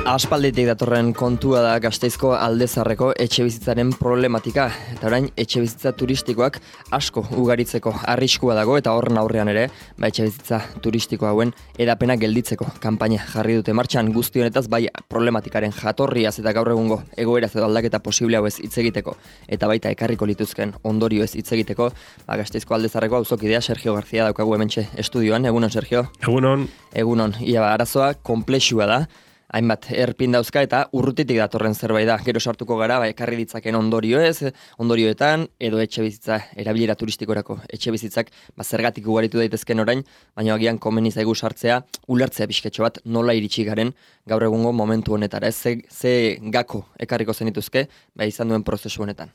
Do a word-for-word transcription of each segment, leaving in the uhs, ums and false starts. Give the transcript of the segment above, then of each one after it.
Aspalditik datorren kontua da Gasteizko Aldezarreko etxebizitzaren problematika. Eta orain, etxebizitza turistikoak asko ugaritzeko arriskua dago eta horren aurrean ere, ba etxebizitza turistiko hauen edapena gelditzeko kanpaina jarri dute martxan. Guzti honetaz bai problematikaren jatorriaz eta gaur egungo egoeraz edo aldaketa posible hauez hitz egiteko eta baita ekarriko lituzken ondorioez hitz egiteko, ba Gasteizko Aldezarreko auzokidea Sergio García daukagu hementxe estudioan. Egunon, Sergio. Egunon. Egunon. Ia ba, arazoa konplexua da. Hainbat erpin dauzka eta urrutitik datorren zerbait da. Gero sartuko gara, ba, ekarri ditzaken ondorioez, ondorioetan, edo etxe bizitza, erabilera turistikorako etxe bizitzak, ba, zergatik ugaritu daitezken orain, baina agian komeni zaigu sartzea, ulertzea pixketxo bat, nola iritsi garen gaur egungo momentu honetara. Ez ze, ze gako ekarriko zenituzke, ba, izan duen prozesu honetan.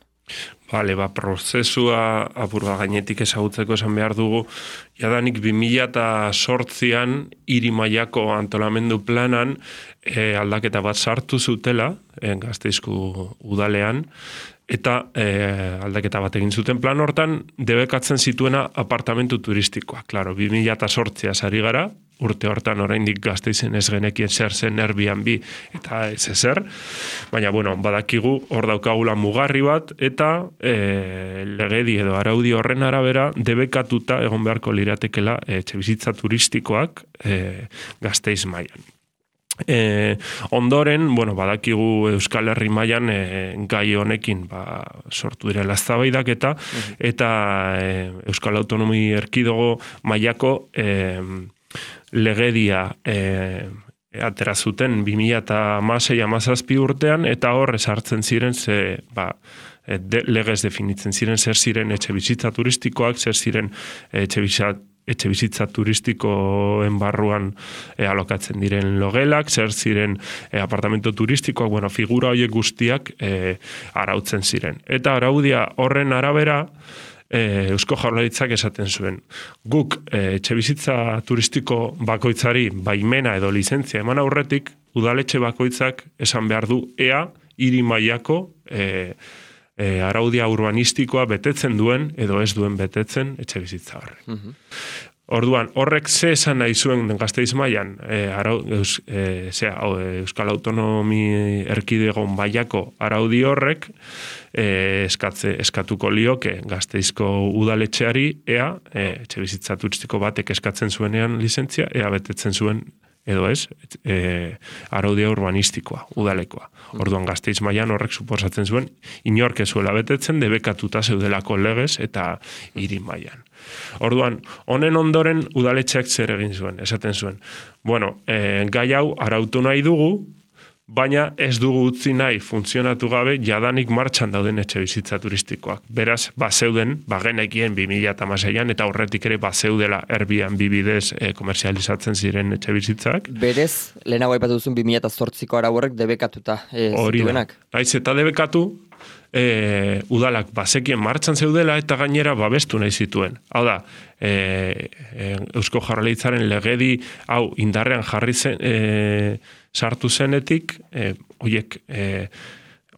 Bale, ba, prozesua apurba gainetik ezagutzeko esan behar dugu, jadanik bi mila zortzian hiri mailako antolamendu planan e, aldaketa bat sartu zutela, e, Gasteizko udalean, eta e, aldaketa bat egin zuten plan hortan, debekatzen zituena apartamentu turistikoa. Claro, bi mila zortzia sari gara, urte hortan oraindik Gasteizen ez genekien zer zen Airbnb eta ez ezer, baina bueno, badakigu hor daukagula mugarri bat eta e, legedi edo araudi horren arabera debekatuta egon beharko liratekela etxebizitza turistikoak e, Gasteiz mailan. E, ondoren, bueno, badakigu Euskal Herri mailan e, gai honekin ba, sortu direla eztabaidak eta uh-huh. eta e, Euskal Autonomi Erkidego mailako e, legedia e, atera zuten bi mila hamasei hamazazpi urtean eta hor esartzen ziren ze, ba, de, legez definitzen ziren zer ziren etxe bizitza turistikoak, zer ziren etxe bizitza etxe bizitza turistikoen barruan e, alokatzen diren logelak, zer ziren e, apartamento turistikoak, bueno, figura horiek guztiak e, arautzen ziren. Eta araudia horren arabera, e, Eusko Jaurlaritzak esaten zuen. Guk e, etxe bizitza turistiko bakoitzari baimena edo lizentzia eman aurretik, udaletxe bakoitzak esan behar du ea hiri mailako e, E, araudia urbanistikoa betetzen duen edo ez duen betetzen etxe bizitza horrek. Uh-huh. Orduan, horrek ze esan nahi zuen Gasteiz mailan e, arau, eus, e, zera, Euskal Autonomi Erkidegon mailako araudi horrek e, eskatze, eskatuko lioke Gasteizko udaletxeari ea e, etxe bizitza turistiko batek eskatzen zuenean lizentzia, ea betetzen zuen edo ez, e, araudia urbanistikoa, udalekoa. Orduan Gasteiz mailan horrek suposatzen zuen, inork ez zuela betetzen, debekatuta zeudelako legez eta hiri mailan. Orduan, honen ondoren udaletxeak zer egin zuen, esaten zuen. Bueno, e, gai hau arautu nahi dugu, baina ez dugu utzi nahi funtzionatu gabe jadanik martxan dauden etxe bizitza turistikoak. Beraz, bazeuden, bagenekien bi mila hamaseian eta horretik ere bazeudela Airbnb bidez e, komerzializatzen ziren etxe bizitzak. Berez, lehenago aipatu duzun bi mila zortziko arau horrek debekatuta e, zituenak. Naiz eta debekatu, e, udalak bazekien martxan zeudela eta gainera babestu nahi zituen. Hau da, e, e, Eusko Jaurlaritzaren legedi hau indarrean jarri zen, e, sartu zenetik, e, oiek, e,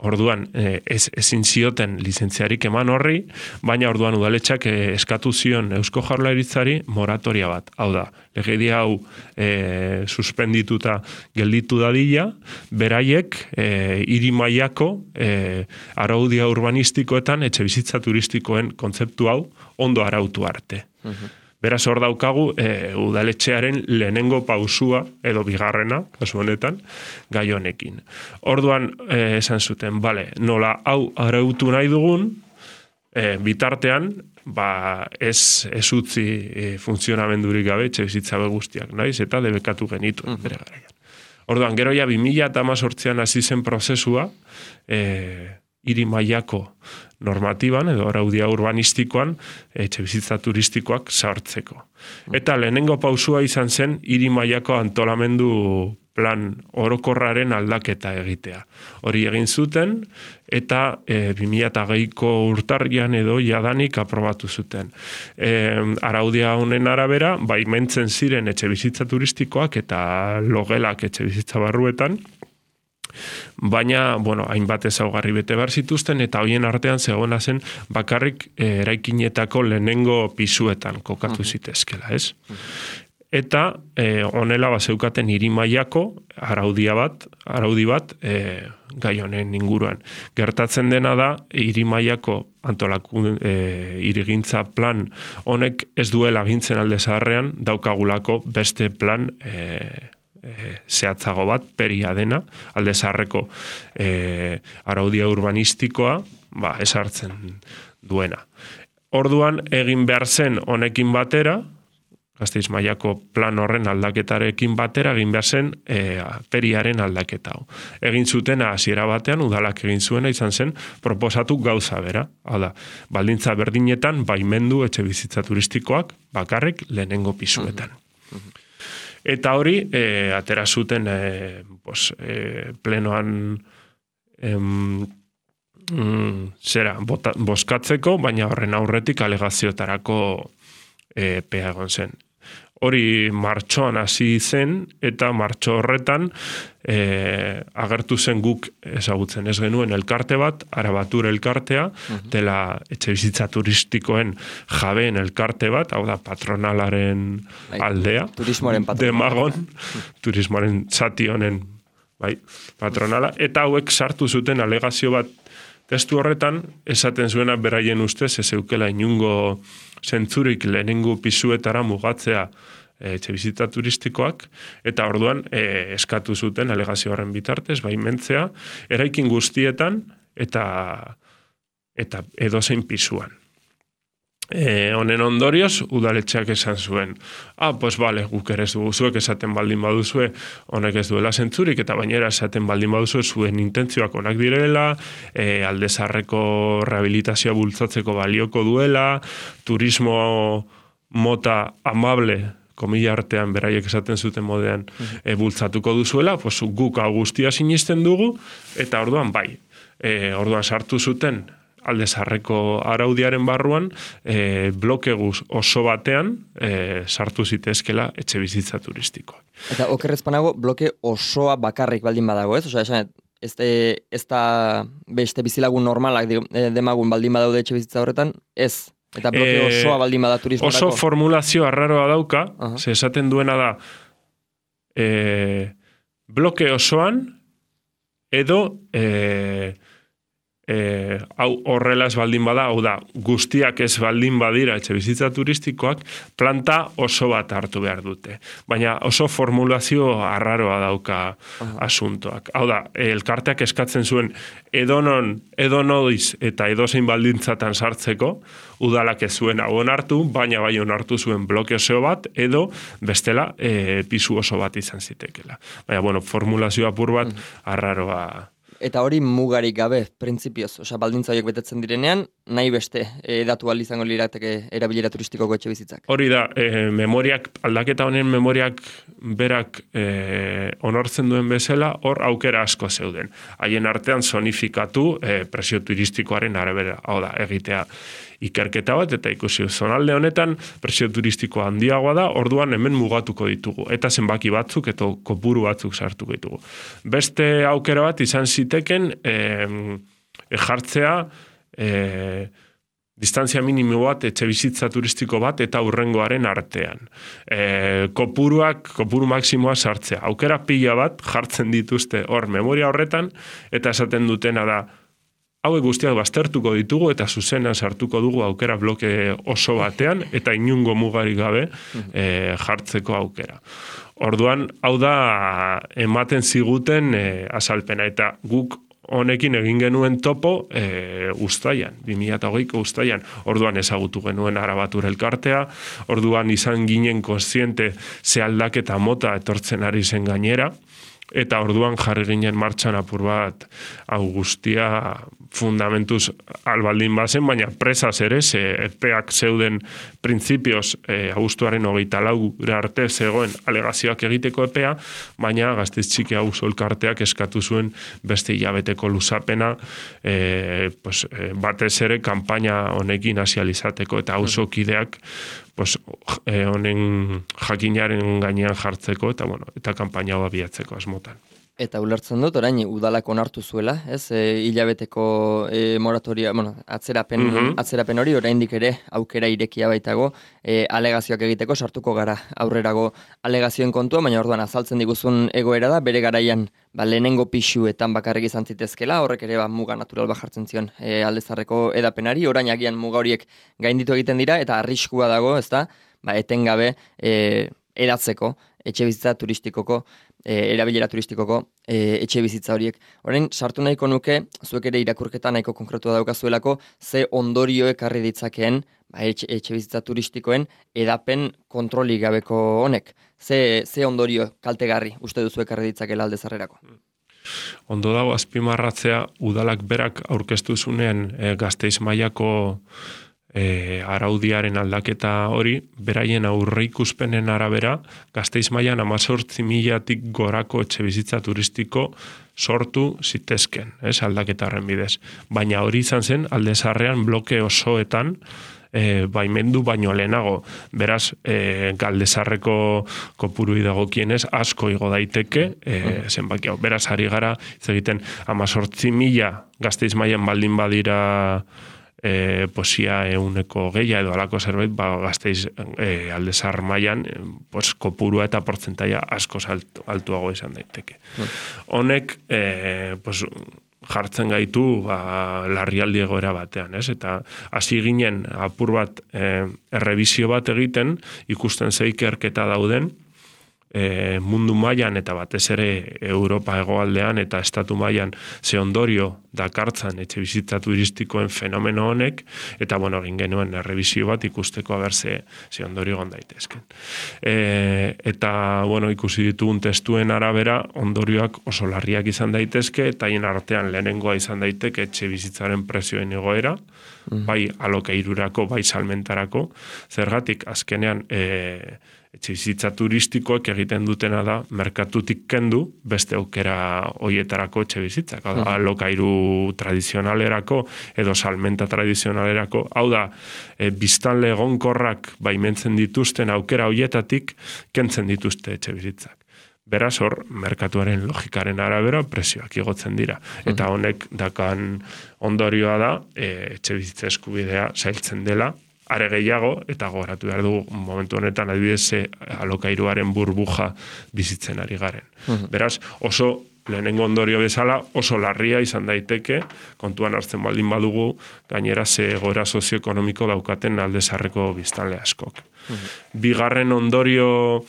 orduan e, ez, ezin zioten lizentziarik eman horri, baina orduan udaletxak e, eskatu zion Eusko Jaurlaritzari moratoria bat. Hau da, legedi hau e, suspendituta gelditu dadila, beraiek e, hiri mailako e, araudia urbanistikoetan etxe bizitza turistikoen kontzeptu hau ondo arautu arte. Uh-huh. Beraz hor daukagu e, udaletxearen lehenengo pausua edo bigarrena, kasu honetan, gai honekin. Orduan e, esan zuten, bale, nola hau arautu nahi dugun, e, bitartean, ba, ez, ez utzi e, funtzionamendurik gabe etxe bizitza guztiak, naiz, eta debekatu genitu uh-huh. bere garaian. Orduan, gero ja bi mila hamazortzian hasi zen prozesua, e, hiri mailako normatiban edo araudia urbanistikoan etxe bizitza turistikoak sartzeko. Eta lehenengo pausua izan zen hiri mailako antolamendu plan orokorraren aldaketa egitea. Hori egin zuten eta e, bi mila hogeiko urtarrian edo jadanik aprobatu zuten. E, araudia honen arabera, baimentzen ziren etxe bizitza turistikoak eta logelak etxe bizitza barruetan, baina, bueno, hainbat ezaugarri bete behar zituzten, eta hoien artean zegoena zen bakarrik eh, eraikinetako lehenengo pisuetan kokatu zitezkela, ez? eta e, honela bazeukaten hiri mailako araudia bat, araudi bat e, gai honen inguruan. Gertatzen dena da hiri mailako antolaku e, hirigintza plan honek ez duela agintzen alde zaharrean daukagulako beste plan e, e, zehatzago bat, peria dena, alde zaharreko e, araudia urbanistikoa, ba, esartzen duena. Orduan egin behar zen honekin batera, Gasteiz mailako plan horren aldaketarekin batera egin behar zen e, periaren aldaketa. Egin zutena hasiera batean, udalak egin zuena izan zen, proposatu gauza bera. Hau da, baldintza berdinetan baimendu etxe bizitza turistikoak bakarrik lehenengo pisuetan. Eta hori, e, atera zuten e, pos, e, plenoan em, mm, zera, bota, boskatzeko, baina horren aurretik alegazioetarako e, epea egon zen. Hori martxoan hasi zen, eta martxo horretan e, agertu zen guk ezagutzen ez genuen elkarte bat, Arabatur elkartea, uh-huh. dela etxe bizitza turistikoen jabeen elkarte bat, hau da patronalaren bai, aldea, turismoaren patronala. Demagon, turismoaren zati honen bai, patronala, eta hauek sartu zuten alegazio bat testu horretan, esaten zuena beraien ustez, ez eukela inungo zentzurik lehenengo pisuetara mugatzea etxe bizitza turistikoak, eta orduan e, eskatu zuten alegazio horren bitartez, baimentzea, eraikin guztietan eta, eta edozein pisuan. E, honen ondorioz, udaletxeak esan zuen, ah, pues vale, guk ere ez dugu zuek esaten baldin baduzue, honek ez duela zentzurik, eta bainera esaten baldin baduzue zuen intentzioak onak direla, e, aldezarreko rehabilitazioa bultzatzeko balioko duela, turismo mota amable, komila artean beraiek esaten zuten modean, e, bultzatuko duzuela, pues guk hau guztia sinisten dugu, eta orduan bai, e, orduan sartu zuten, alde zarreko araudiaren barruan, e, bloke guz oso batean e, sartu zitezkela etxe bizitza turistikoak. Eta okerrezpanago, bloke osoa bakarrik baldin badago, ez? Osa, esan, ez, ez da beste bizilagun normalak demagun baldin badaude etxe bizitza horretan, ez. Eta bloke e, osoa baldin bada turismorako. Oso formulazio arraroa dauka, uh-huh. ze esaten duena da, e, bloke osoan, edo... E, E, hau horrela ez baldin bada, hau da, guztiak ez baldin badira etxe bizitza turistikoak, planta oso bat hartu behar dute. Baina oso formulazio arraroa dauka uh-huh. asuntoak. Hau da, elkarteak eskatzen zuen edonon, edonoiz eta edozein baldintzatan sartzeko, udalak ez zuen hau onartu, baina bai onartu zuen bloke oso bat, edo bestela e, pisu oso bat izan zitekela. Baina, bueno, formulazio apur bat uh-huh. arraroa. Eta hori mugarik gabe, printzipioz, osea baldintza horiek betetzen direnean, nahi beste edatu ahal izango lirateke erabilera turistikoko etxe bizitzak. Hori da, e, memoriak, aldaketa honen memoriak berak e, onortzen duen bezala, hor aukera asko zeuden. Haien artean zonifikatu e, presio turistikoaren arabera, hau da, egitea ikerketa bat, eta ikusi zonalde honetan presio turistiko handiagoa da, orduan hemen mugatuko ditugu, eta zenbaki batzuk, eta kopuru batzuk sartuko ditugu. Beste aukera bat izan ziteken e, jartzea e, distantzia minimo bat etxe bizitza turistiko bat eta hurrengoaren artean. E, kopuruak, kopuru maksimoa sartzea. Aukera pila bat jartzen dituzte hor memoria horretan, eta esaten dutena da, hauek guztiak baztertuko ditugu eta zuzenan sartuko dugu aukera bloke oso batean eta inungo mugarik gabe e, jartzeko aukera. Orduan, hau da ematen ziguten e, azalpena eta guk honekin egin genuen topo e, uztaian, bi mila hogeiko uztaian. Orduan ezagutu genuen Arabatur elkartea, orduan izan ginen kontziente ze aldaketa mota etortzen ari zen gainera, eta orduan jarri ginen martxan apur bat hau guztia fundamentuz albaldin bazen, baina presaz ere, ze epeak zeuden printzipioz e, agustuaren hogeita lau arte zegoen alegazioak egiteko epea, baina Gasteiz Txiki Auzo elkarteak eskatu zuen beste hilabeteko luzapena e, pues, e, batez ere kanpaina honekin hasializateko eta auzokideak pues, e, honen jakinaren gainean jartzeko eta bueno, eta kanpaina hau abiatzeko asmotan. Eta ulertzen dut, orain udalak onartu zuela, ez? E, hilabeteko e, moratoria, bueno, atzerapen, Mhm. atzerapen hori, oraindik ere aukera irekia baitago, e, alegazioak egiteko sartuko gara aurrerago alegazioen kontua, baina orduan azaltzen diguzun egoera da, bere garaian ba, lehenengo pixuetan bakarrik izan zitezkela, horrek ere ba, muga natural bat jartzen zion e, aldezarreko edapenari, orain agian muga horiek gainditu egiten dira, eta arriskua dago, ezta? Ba, etengabe e, eratzeko, etxe bizitza turistikoko, E, erabilera turistikoko e, etxe bizitza horiek. Orain, sartu nahiko nuke, zuek ere irakurketa nahiko konkretua daukazuelako, ze ondorio ekarri ditzakeen ba, etxe, etxe bizitza turistikoen edapen kontrolik gabeko honek. Ze, ze ondorio kaltegarri uste duzu ekarri ditzakela aldezarrerako? Ondo dago azpimarratzea, udalak berak aurkeztu zunean e, Gasteiz mailako E, araudiaren aldaketa hori, beraien aurreikuspenen arabera, Gasteiz mailan hemezortzi milatik gorako etxebizitza turistiko sortu zitezken, ez, aldaketaren bidez. Baina hori izan zen, aldezarrean bloke osoetan, e, baimendu baino lehenago. Beraz, e, galdezarreko kopurui dagokienez, asko igo daiteke, e, zenbaki hau. Beraz, ari gara, ez egiten, hemezortzi mila Gasteiz mailan baldin badira E, posia euneko geia edo alako zerbait, ba, Gasteiz e, aldezar mailan e, pues, kopurua eta portzentaia asko altu, altuago izan daiteke. Honek e, pues, jartzen gaitu ba, larrialdi egoera batean, ez? Eta hasi ginen apur bat e, errebizio bat egiten, ikusten ze ikerketa dauden, E, mundu mailan eta batez ere Europa hegoaldean eta estatu mailan ze ondorio dakartzan etxe bizitza turistikoen fenomeno honek, eta bueno, egin genuen errebisio bat ikusteko aber ze, ze ondorio egon daitezken. E, eta bueno, ikusi ditugun testuen arabera ondorioak oso larriak izan daitezke, eta haien artean lehenengoa izan daiteke etxe bizitzaren prezioen igoera, mm. bai alokairurako, bai salmentarako, zergatik azkenean e, etxe bizitza turistikoek egiten dutena da merkatutik kendu beste aukera hoietarako etxe bizitzak. Mm. Alokairu tradizionalerako edo salmenta tradizionalerako. Hau da, e, biztanle egonkorrak baimentzen dituzten aukera hoietatik kentzen dituzte etxe bizitzak. Beraz hor, merkatuaren logikaren arabera prezioak igotzen dira. Eta honek dakan ondorioa da, e, etxe bizitza eskubidea zailtzen dela, are gehiago, eta gogoratu behar dugu momentu honetan adibidez alokairuaren burbuja bizitzen ari garen. Uh-huh. Beraz, oso lehenengo ondorio bezala oso larria izan daiteke, kontuan hartzen baldin badugu, gainera ze egoera sozioekonomiko daukaten aldezarreko biztanle askok. Uh-huh. Bigarren ondorio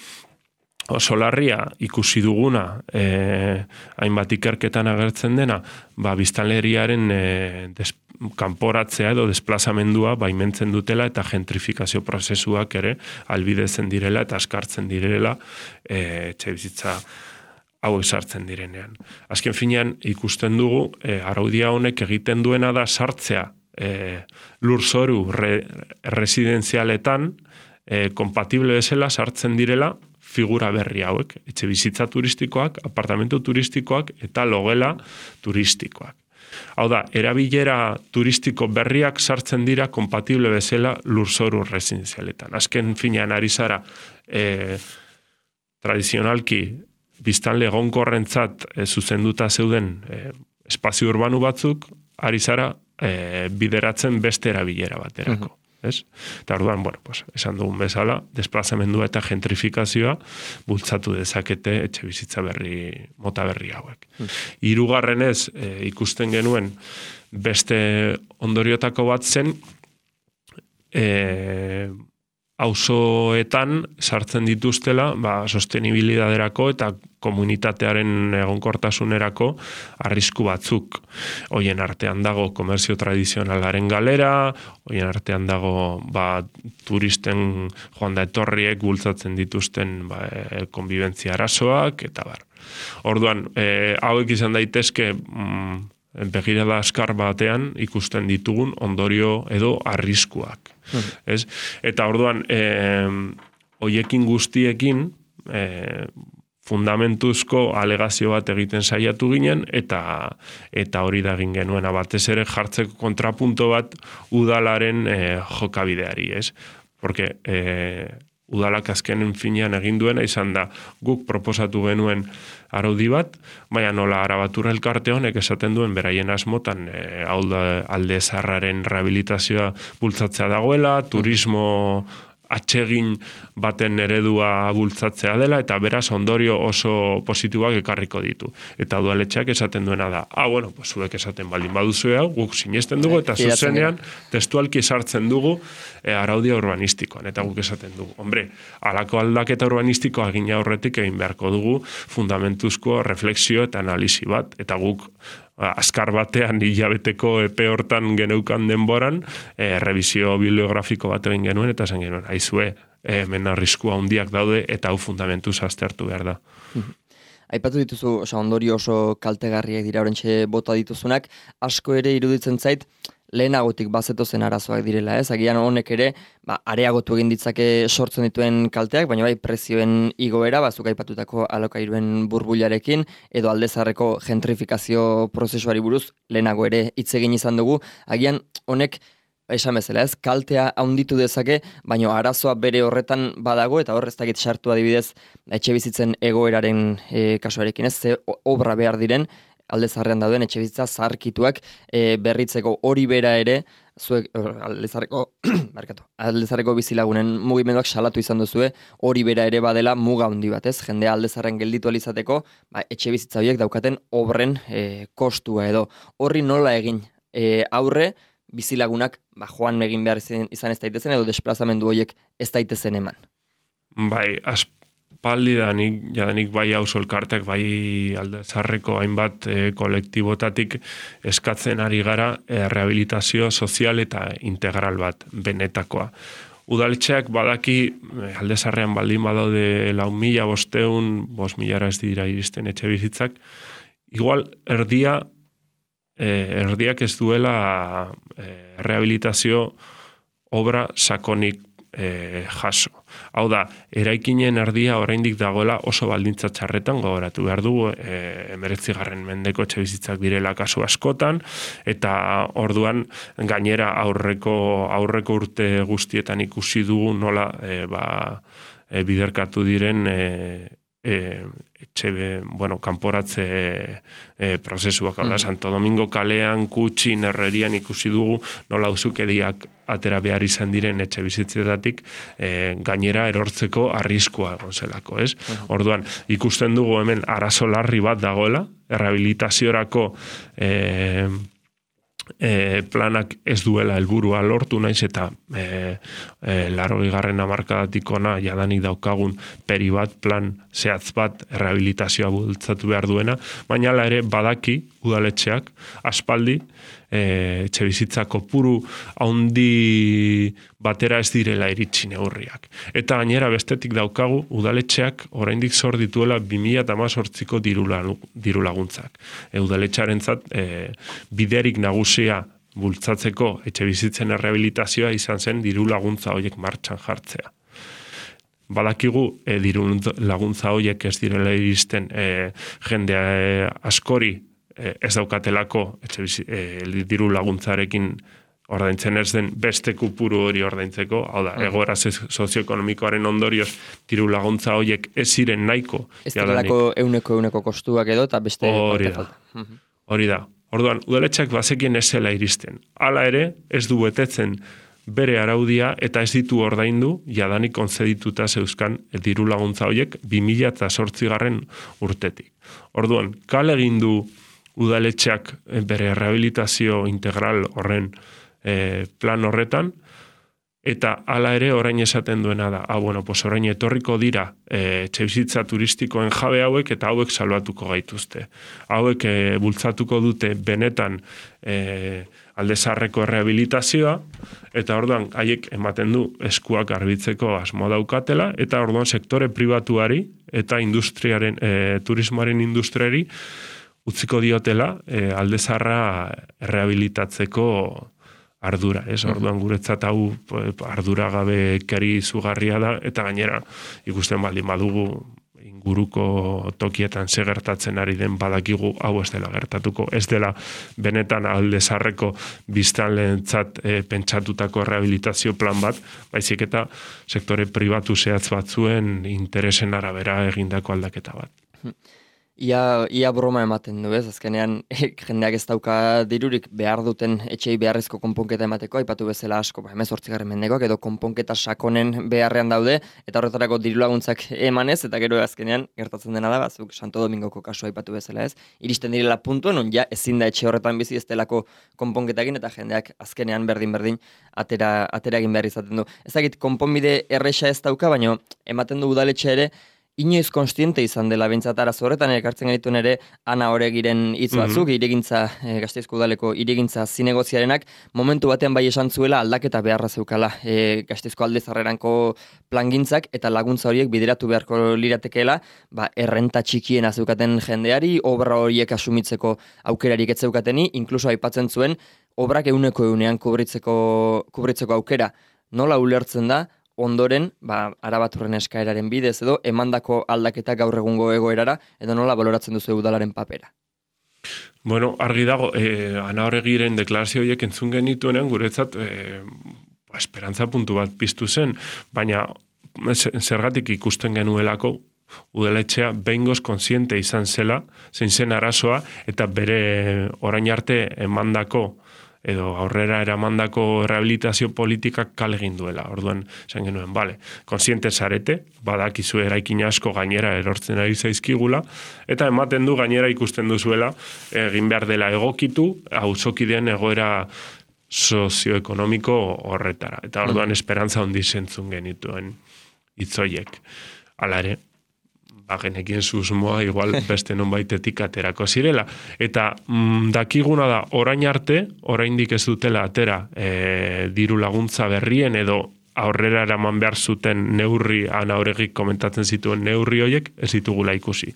oso larria ikusi duguna, eh, hainbat ikerketan agertzen dena, ba, biztanleriaren eh, des, kanporatzea edo desplazamendua baimentzen dutela eta gentrifikazio prozesuak ere albidezen direla eta askartzen direla eh, etxe bizitza hau sartzen direnean. Azken finean ikusten dugu, eh, araudia honek egiten duena da sartzea eh, lurzoru re, residenzialetan eh, kompatible bezala sartzen direla figura berri hauek, etxe bizitza turistikoak, apartamentu turistikoak eta logela turistikoak. Hau da, erabilera turistiko berriak sartzen dira kompatible bezala lurzoru residenzialetan. Azken finean ari zara, e, tradizionalki biztanle egonkorrentzat e, zuzenduta zeuden e, espazio urbanu batzuk, ari zara e, bideratzen beste erabilera baterako. Uh-huh. Ez? Eta orduan, bueno, pues, esan dugun bezala, desplazamendua eta gentrifikazioa bultzatu dezakete etxe bizitza berri, mota berri hauek. Hmm. Hirugarrenez, e, ikusten genuen beste ondoriotako bat zen, e, auzoetan sartzen dituztela, ba, sostenibilidaderako eta komunitatearen egonkortasunerako arrisku batzuk. Hoien artean dago komerzio tradizionalaren galera, hoien artean dago ba, turisten joan da etorriek bultzatzen dituzten ba, konbibentzia arazoak, eta bar. Orduan, e, hauek izan daitezke mm, begirada askar batean ikusten ditugun ondorio edo arriskuak. Hmm. Ez? Eta orduan, eh, hoiekin guztiekin eh, fundamentuzko alegazio bat egiten saiatu ginen, eta eta hori da egin genuena batez ere jartzeko kontrapunto bat udalaren eh, jokabideari, ez? Porque eh, udalak azkenen finean egin duena izan da guk proposatu genuen araudi bat, baina nola Arabatur elkarte honek esaten duen beraien asmotan e, hau da alde zaharraren rehabilitazioa bultzatzea dagoela, turismo atsegin baten eredua bultzatzea dela, eta beraz ondorio oso positiboak ekarriko ditu. Eta udaletxeak esaten duena da, ah, bueno, pues zuek esaten baldin baduzu hau, guk sinesten dugu, eta zuzenean testualki sartzen dugu e, araudia urbanistikoan, eta guk esaten dugu. Hombre, halako aldaketa urbanistikoa egin aurretik egin beharko dugu fundamentuzko refleksio eta analisi bat, eta guk azkar batean hilabeteko epe hortan geneukan denboran, e, revisio bibliografiko bat egin genuen, eta zen genuen, aizue, hemen arriskua handiak daude, eta hau fundamentuz aztertu behar da. Aipatu dituzu, oso ondorio oso kaltegarriak dira orentxe bota dituzunak, asko ere iruditzen zait, lehenagotik bazetozen arazoak direla, ez? Agian honek ere, ba, areagotu egin ditzake sortzen dituen kalteak, baina bai prezioen igoera, bazuk aipatutako alokairuen burbularekin, edo aldezarreko gentrifikazio prozesuari buruz lehenago ere hitz egin izan dugu, agian honek esan bezala, ez? Kaltea handitu dezake, baina arazoa bere horretan badago, eta hor ez dakit sartu adibidez etxe bizitzen egoeraren e, kasuarekin, ez? Ze obra behar diren, aldezarrean dauden etxe bizitza zaharkituak e, berritzeko hori bera ere, zuek aldezarreko, markatu, aldezarreko bizilagunen mugimenduak salatu izan duzue, hori bera ere badela muga handi bat, ez? Jendea aldezarren gelditu alizateko, ba, etxe bizitza horiek daukaten obren e, kostua edo. Horri nola egin e, aurre, bizilagunak ba, joan egin behar izan, izan ez daitezen, edo desplazamendu horiek ez daitezen eman. Bai, aspaldi danik, jadanik bai auzo elkartek, bai aldezarreko hainbat e, kolektibotatik eskatzen ari gara e, rehabilitazio sozial eta integral bat, benetakoa. Udaletxeak badaki aldezarrean baldin badaude lau mila bosteun, bost milara ez dira iristen etxe bizitzak, igual erdia Eh, erdiak ez duela eh, rehabilitazio obra sakonik eh, jaso. Hau da, eraikinen erdia oraindik dagoela oso baldintza txarretan gogoratu behar dugu, eh, emeretzigarren mendeko etxe bizitzak direla kasu askotan, eta orduan gainera aurreko aurreko urte guztietan ikusi dugu nola eh, ba, eh, biderkatu diren eh, E, etxe, bueno, kanporatze e, prozesuak, mm. Santo Domingo kalean, Kutxin, Herrerian ikusi dugu, nola uzukediak atera behar izan diren etxe bizitzetatik e, gainera erortzeko arriskua egon zelako, ez? Mm. Orduan, ikusten dugu hemen arazo larri bat dagoela, errehabilitaziorako e, E, planak ez duela helburua lortu naiz eta e, e, larogehigarren hamarkadatik ona jadanik daukagun peri bat, plan zehatz bat rehabilitazioa bultzatu behar duena, baina hala ere badaki udaletxeak aspaldi e, etxe bizitza kopuru handi batera ez direla iritsi neurriak. Eta gainera bestetik daukagu udaletxeak oraindik zor dituela bi mila hemezortziko diru laguntzak. E, udaletxearentzat e, biderik nagusia bultzatzeko etxe bizitzen rehabilitazioa izan zen diru laguntza horiek martxan jartzea. Badakigu e, diru laguntza horiek ez direla iristen e, jendea e, askori e, ez daukatelako etxe bizi, e, diru laguntzarekin ordaintzen ez den beste kupuru hori ordaintzeko, hau da, egoera sozioekonomikoaren ondorioz diru laguntza horiek ez ziren nahiko. Ez direlako euneko euneko kostuak edo, eta beste... Hori da, hori da. Orduan, udaletxeak bazekien ez zela iristen. Hala ere, ez du betetzen bere araudia eta ez ditu ordaindu jadanik konzedituta zeuzkan diru laguntza horiek bi mila zortzigarren urtetik. Orduan, kale egin du udaletxeak bere rehabilitazio integral horren E, plan horretan, eta hala ere orain esaten duena da, ah, bueno, pues orain etorriko dira e, etxebizitza turistikoen jabe hauek eta hauek salbatuko gaituzte. Hauek e, bultzatuko dute benetan e, aldezarreko rehabilitazioa, eta orduan haiek ematen du eskuak garbitzeko asmo daukatela, eta orduan sektore pribatuari eta industriaren, e, turismoaren industriari utziko diotela e, aldezarra rehabilitatzeko ardura, ez? Orduan guretzat hau ardura gabe keri izugarria da, eta gainera ikusten baldin badugu inguruko tokietan ze gertatzen ari den badakigu hau ez dela gertatuko, ez dela benetan alde zarreko biztanleentzat e, pentsatutako rehabilitazio plan bat, baizik eta sektore pribatu zehatz batzuen interesen arabera egindako aldaketa bat. Ia, ia broma ematen du, ez? Azkenean, jendeak ez dauka dirurik behar duten etxei beharrezko konponketa emateko, aipatu bezala asko, ba, hemezortzigarren mendekoak, edo konponketa sakonen beharrean daude, eta horretarako diru laguntzak emanez, eta gero azkenean gertatzen dena da, bazuk Santo Domingoko kasua aipatu bezala, ez? Iristen direla puntuen, on ja ezin da etxe horretan bizi ez delako konponketakin, eta jendeak azkenean berdin-berdin atera, atera egin behar izaten du. Ezagit, konponbide erresa ez dauka, baina ematen du udaletxe ere, inoiz konstiente izan dela bintzat arazo horretan, ekartzen gaituen ere Ana Oregiren hitz batzuk, mm -hmm. irigintza, e, Gasteizko udaleko irigintza zinegoziarenak, momentu batean bai esan zuela aldaketa beharra zeukala e, Gasteizko aldezarreranko plangintzak, eta laguntza horiek bideratu beharko liratekeela, ba, errenta txikiena zeukaten jendeari, obra horiek asumitzeko aukerarik ez zeukateni, inkluso aipatzen zuen, obrak euneko eunean kubritzeko, kubritzeko aukera. Nola ulertzen da, ondoren, ba, Arabaturren eskaeraren bidez edo, emandako aldaketa gaur egungo egoerara, edo nola baloratzen duzu udalaren papera? Bueno, argi dago, eh, Ana Oregiren deklarazio horiek entzun genituenean, guretzat, eh, ba, esperantza puntu bat piztu zen, baina zergatik ikusten genuelako, udaletxea behingoz konsiente izan zela, zein zen arazoa, eta bere orain arte emandako edo aurrera eramandako rehabilitazio politikak kale egin duela. Orduan, esan genuen, bale, konsiente zarete, badakizu eraikin asko gainera erortzen ari zaizkigula, eta ematen du gainera ikusten duzuela, egin behar dela egokitu, auzokideen egoera sozioekonomiko horretara. Eta orduan, esperantza handi zentzun genituen hitzoiek. Hala ere, bagenekien susmoa igual beste nonbaitetik aterako zirela. Eta mm, dakiguna da, orain arte, oraindik ez dutela atera e, diru laguntza berrien edo aurrera eraman behar zuten neurri, Ana Oregik komentatzen zituen neurri horiek, ez ditugula ikusi.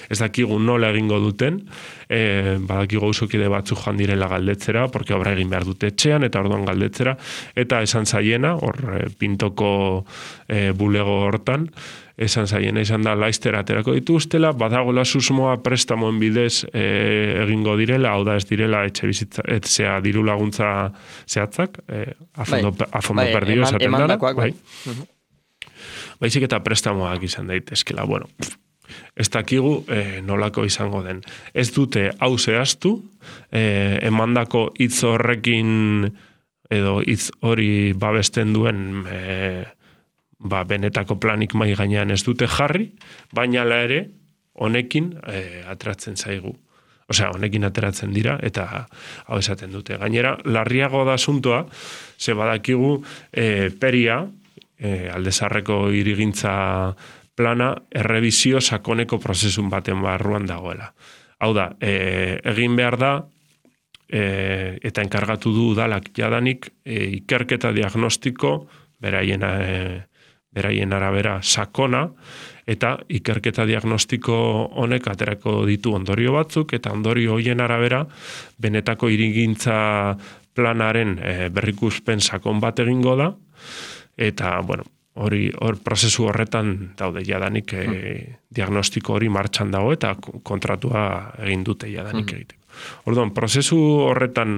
Ez dakigu nola egingo duten, e, badakigu usokide batzu joan direla galdetzera, porque obra egin behar dute etxean, eta orduan galdetzera, eta esan zaiena, hor e, pintoko e, bulego hortan, esan zaiena izan da laiztera aterako dituztela, badagoela susmoa prestamoen bidez e, egingo direla, hau da ez direla etxe bizitza, etzea diru laguntza zehatzak, e, afondo, bai, afondo bai, perdio eman, esaten dara, bai. bai. Uh-huh. Baizik eta prestamoak izan daitezkela, bueno, ez dakigu e, nolako izango den. Ez dute hau zehaztu, e, emandako hitz horrekin edo hitz hori babesten duen e, ba, benetako planik mai gainean ez dute jarri, baina la ere honekin e, ateratzen zaigu. Osea, honekin ateratzen dira eta hau esaten dute. Gainera, larriago da asuntoa, ze badakigu e, peria, e, aldezarreko irigintza plana, errebizio sakoneko prozesun baten barruan dagoela. Hau da, e, egin behar da, e, eta enkargatu du udalak jadanik, e, ikerketa diagnostiko, beraien e, beraien arabera sakona, eta ikerketa diagnostiko honek aterako ditu ondorio batzuk, eta ondorio hoien arabera benetako irigintza planaren e, berrikuspen sakon bat egingo da, eta, bueno, hori hor prozesu horretan daude jadanik e, diagnostiko hori martxan dago, eta kontratua egin dute jadanik egiteko. Orduan, prozesu horretan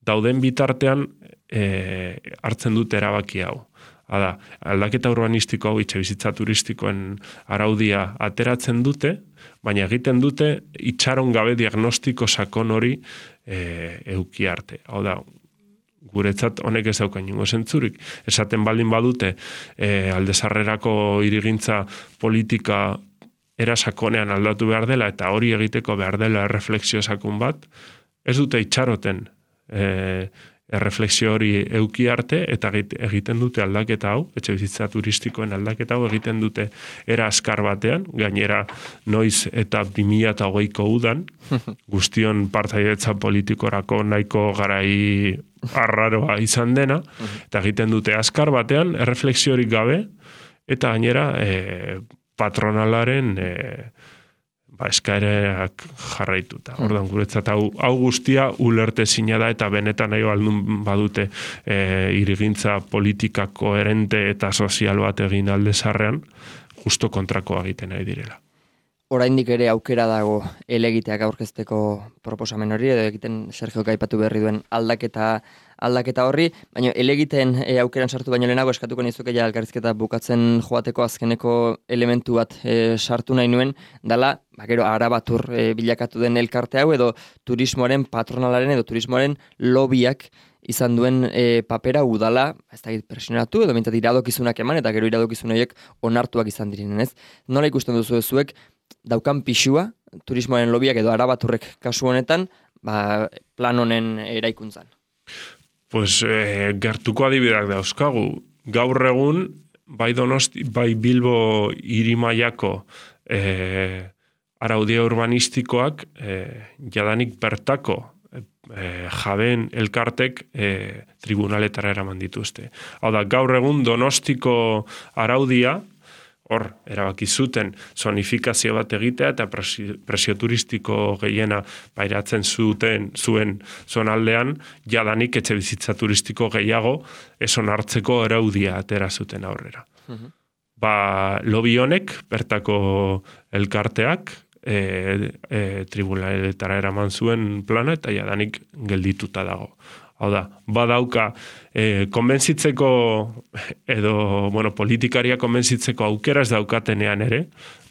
dauden bitartean e, hartzen dute erabaki hau. Hala, aldaketa urbanistiko hau etxebizitza turistikoen araudia ateratzen dute, baina egiten dute itxaron gabe diagnostiko sakon hori e, euki arte. Hau da, guretzat honek ez dauka inongo zentzurik. Esaten baldin badute e, aldezarrerako irigintza politika era sakonean aldatu behar dela eta hori egiteko behar dela erreflexio sakon bat, ez dute itxaroten e, erreflexio hori euki arte eta egiten dute aldaketa hau, etxe bizitza turistikoen aldaketa hau egiten dute era askar batean, gainera noiz eta bi mila hogeiko udan, guztion partaidetza politikorako nahiko garai arraroa izan dena, eta egiten dute askar batean, erreflexiorik gabe, eta gainera e, patronalaren e, ba, eskaerak jarraituta. Ordan guretzat hau, hau guztia ulertezina da eta benetan nahi baldun badute e, irigintza politika koherente eta sozial bat egin alde zarrean, justo kontrakoa egiten nahi direla. Oraindik ere aukera dago elegiteak aurkezteko proposamen hori, edo egiten Sergio aipatu berri duen aldaketa aldaketa horri, baina elegiteen e, aukeran sartu baino lehenago eskatuko nizuke ja elkarrizketa bukatzen joateko azkeneko elementu bat e, sartu nahi nuen, dala, ba, gero arabatur e, bilakatu den elkarte hau, edo turismoaren patronalaren edo turismoaren lobiak izan duen e, papera udala, ez da presionatu, edo mintzat iradokizunak eman, eta gero iradokizun horiek onartuak izan direnen, ez? Nola ikusten duzu zuek daukan pixua, turismoaren lobiak edo arabaturrek kasu honetan, ba, plan honen eraikuntzan? Pues eh, gertuko adibideak dauzkagu. Gaur egun, bai Donosti, bai Bilbo hirimaiako eh, araudia urbanistikoak eh, jadanik bertako eh, jabeen elkartek eh, tribunaletara eraman dituzte. Hau da, gaur egun Donostiko araudia, hor, erabaki zuten zonifikazio bat egitea eta presio, presio turistiko gehiena pairatzen zuten zuen zonaldean, jadanik etxe bizitza turistiko gehiago eson hartzeko araudia atera zuten aurrera. Uh-huh. Ba, lobi honek, bertako elkarteak, e, e, tribunaletara eraman zuen plana eta jadanik geldituta dago. Hau da, badauka, e, konbentzitzeko, edo, bueno, politikaria konbentzitzeko aukera ez daukatenean ere,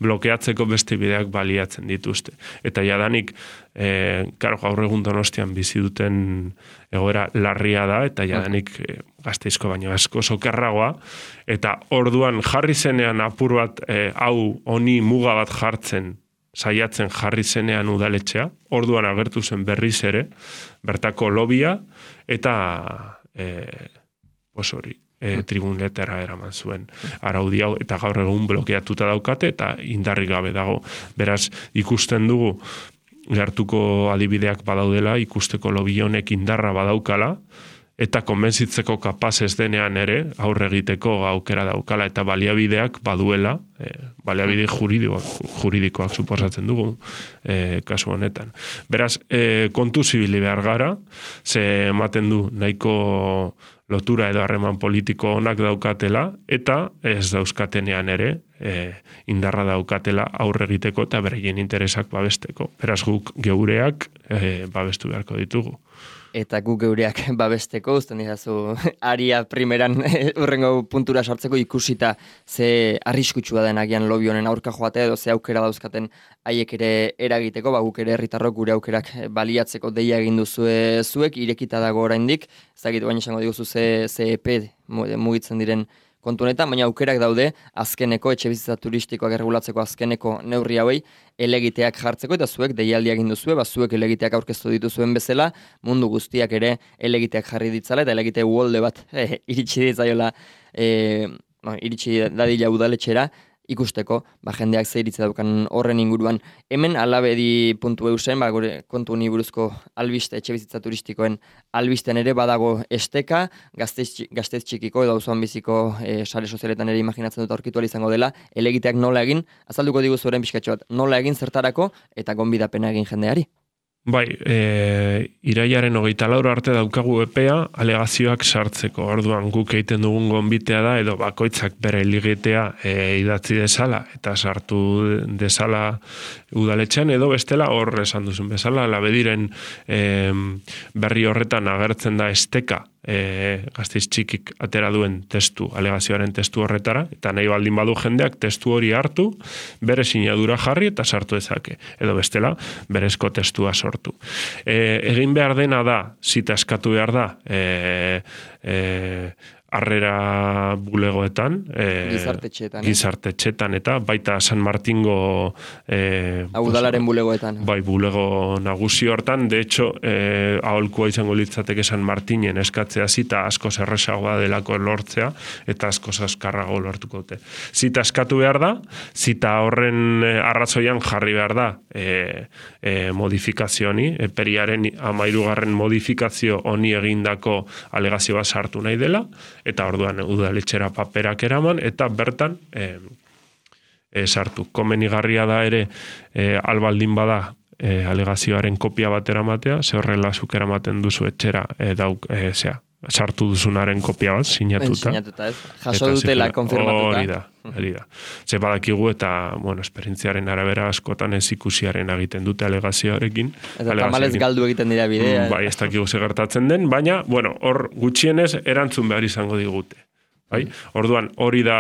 blokeatzeko beste bideak baliatzen dituzte. Eta jadanik, e, karo, gaur egun Donostian bizi duten egoera larria da, eta jadanik e, Gasteizko baino asko sokerragoa, eta orduan jarri zenean apur bat, e, hau honi muga bat jartzen, saiatzen jarri zenean udaletxea, orduan agertu zen berriz ere, bertako lobia, eta e, pues hori, e, tribunaletara eraman zuen araudi hau, eta gaur egun blokeatuta daukate, eta indarri gabe dago. Beraz, ikusten dugu, gertuko adibideak badaudela, ikusteko lobby honek indarra badaukala, eta konbentzitzeko kapaz ez denean ere, aurre egiteko aukera daukala, eta baliabideak baduela, e, baliabide juridikoak, juridikoak suposatzen dugu, e, kasu honetan. Beraz, e, kontu zibili behar gara, ze ematen du nahiko lotura edo harreman politiko onak daukatela, eta ez dauzkatenean ere, e, indarra daukatela aurre egiteko eta bereien interesak babesteko. Beraz, guk geureak e, babestu beharko ditugu. Eta guk geureak babesteko, uzten dizazu aria primeran urrengo puntura sartzeko ikusita ze arriskutsua den agian lobi honen aurka joatea edo ze aukera dauzkaten haiek ere eragiteko, ba guk ere herritarrok gure aukerak baliatzeko deia egin duzue zuek, irekita dago oraindik, ez dakit baina esango diguzu ze, ze epe mugitzen diren kontu honetan, baina aukerak daude azkeneko etxebizitza turistikoak erregulatzeko azkeneko neurri hauei elegiteak jartzeko, eta zuek deialdia egin duzue, ba zuek elegiteak aurkeztu dituzuen bezala, mundu guztiak ere elegiteak jarri ditzala, eta elegite uholde bat eh, iritsi ditzaiola, eh, no, iritsi dadila udaletxera, ikusteko, ba, jendeak zeiritze daukan horren inguruan. Hemen alabedi puntu eusen, ba, gure kontu honi buruzko albiste, etxebizitza turistikoen albisten ere badago esteka, gazteiz, gazteiz txikiko edo auzoan biziko e, sare sozialetan ere imaginatzen dut aurkitu ahal izango dela, elegiteak nola egin, azalduko diguzu orain pixkatxo bat, nola egin zertarako eta gonbidapena egin jendeari. Bai, e, iraiaren hogeita laur arte daukagu epea alegazioak sartzeko. Orduan guk egiten dugun gonbitea da, edo bakoitzak bere ligitea e, idatzi desala, eta sartu desala udaletxean, edo bestela hor esan duzun bezala, labediren e, berri horretan agertzen da esteka, e, Gasteiz txikik atera duen testu, alegazioaren testu horretara, eta nahi baldin badu jendeak testu hori hartu, bere sinadura jarri eta sartu ezake, edo bestela berezko testua sortu. E, egin behar dena da, zita eskatu behar da, e, e, harrera bulegoetan, e, gizartetxetan, gizartetxetan eta baita San Martingo e, udalaren bulegoetan. Bai, bulego nagusi hortan, de hecho, e, aholkua izango litzateke San Martinen eskatzea zita asko erresagoa delako lortzea, eta asko azkarrago lortuko dute. Zita eskatu behar da, zita horren arrazoian jarri behar da e, e, modifikazio honi, eperiaren amairugarren modifikazio honi egindako alegazioa sartu nahi dela, eta orduan udaletxera paperak eraman, eta bertan e, e, sartu. Komenigarria da ere, e, albaldin bada e, alegazioaren kopia bat eramatea, ze horrela zuk eramaten duzu etxera, e, dauk, e, zea, sartu duzunaren kopia bat, sinatuta. Sinatuta, ez? Jaso dutela, konfirmatuta. Hori da, hori da. Ze badakigu eta, bueno, esperientziaren arabera askotan ez ikusiaren egiten dute alegazioarekin. Eta tamalez galdu egiten dira bidea. Bai, ez dakigu ze gertatzen den, baina, bueno, hor gutxienez erantzun behar izango digute. Bai? Orduan, hori da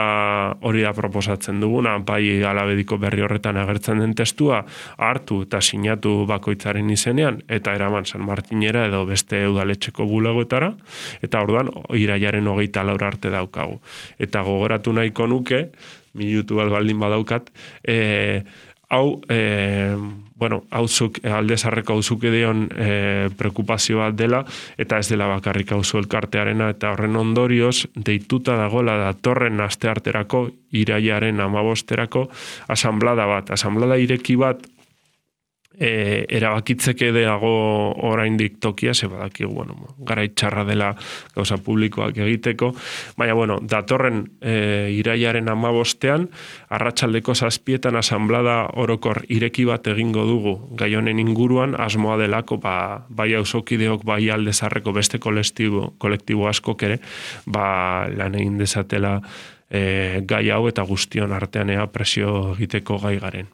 hori da proposatzen duguna, bai Alabediko berri horretan agertzen den testua hartu eta sinatu bakoitzaren izenean eta eraman San Martinera edo beste udaletxeko bulagoetara, eta orduan irailaren hogeita laur arte daukagu. Eta gogoratu nahiko nuke, minutu bat baldin badaukat, e, hau, e, bueno, hauzuk, aldezarreko hauzuke dion e, preokupazio bat dela, eta ez dela bakarrik hauzu elkartearena, eta horren ondorioz, deituta dagoela datorren astearterako, irailaren amabosterako, asanblada bat, asanblada ireki bat, E, erabakitzeke dago oraindik tokia, ze badakigu, bueno, garaitxarra dela gauza publikoak egiteko, baina, bueno, datorren e, irailaren amabostean, arratsaldeko zazpietan asanblada orokor ireki bat egingo dugu gai honen inguruan, asmoa delako, ba, bai auzokideok, bai aldezarreko beste kolektibo, kolektibo askok ere, ba, lan egin dezatela e, gai hau eta guztion artean ea presio egiteko gai garen.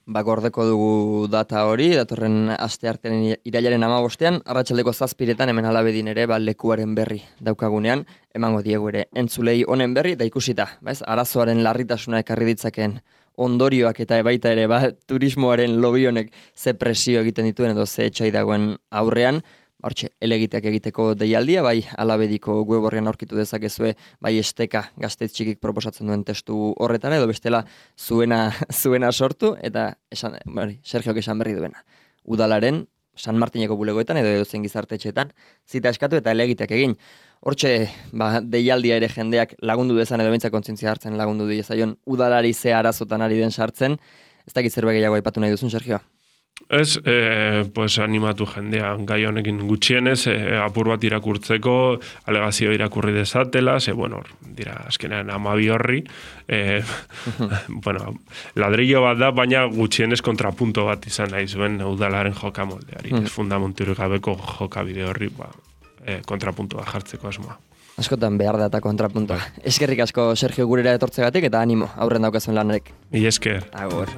Ba, gordeko dugu data hori, datorren asteartean irailaren amabostean, arratsaldeko zazpiretan hemen Alabedin ere, ba, lekuaren berri daukagunean, emango diegu ere entzulei honen berri, eta ikusita, ba, ez, arazoaren larritasuna ekarri ditzakeen ondorioak eta baita ere, ba, turismoaren lobi honek ze presio egiten dituen edo ze etxai dagoen aurrean, hortxe, elegiteak egiteko deialdia, bai Alabediko web horrean aurkitu dezakezue, bai esteka gazteiz txikik proposatzen duen testu horretara, edo bestela zuena, zuena sortu, eta esan, bari, Sergiok esan berri duena. Udalaren, San Martineko bulegoetan, edo edozen gizartetxeetan, zita eskatu eta elegiteak egin. Hortxe, ba, deialdia ere jendeak lagundu dezan, edo bintzak kontzientzia hartzen lagundu dezaion, udalari ze arazotan ari den sartzen, ez dakit zerbait gehiago aipatu nahi duzun, Sergio? Ez, e, pues animatu jendea gai honekin gutxienez, e, apur bat irakurtzeko, alegazio irakurri dezatela, ze, bueno, dira, azkenean amabi horri, e, bueno, ladrillo bat da, baina gutxienez kontrapunto bat izan nahi zuen udalaren jokamoldeari, mm. ez fundamenturik gabeko jokabide horri, ba, e, kontrapuntoa jartzeko asmoa. Askotan behar da eta kontrapuntoa. Eskerrik asko, Sergio, gurera etortzegatik, eta animo, aurren daukazuen lanarek. I esker. Agur.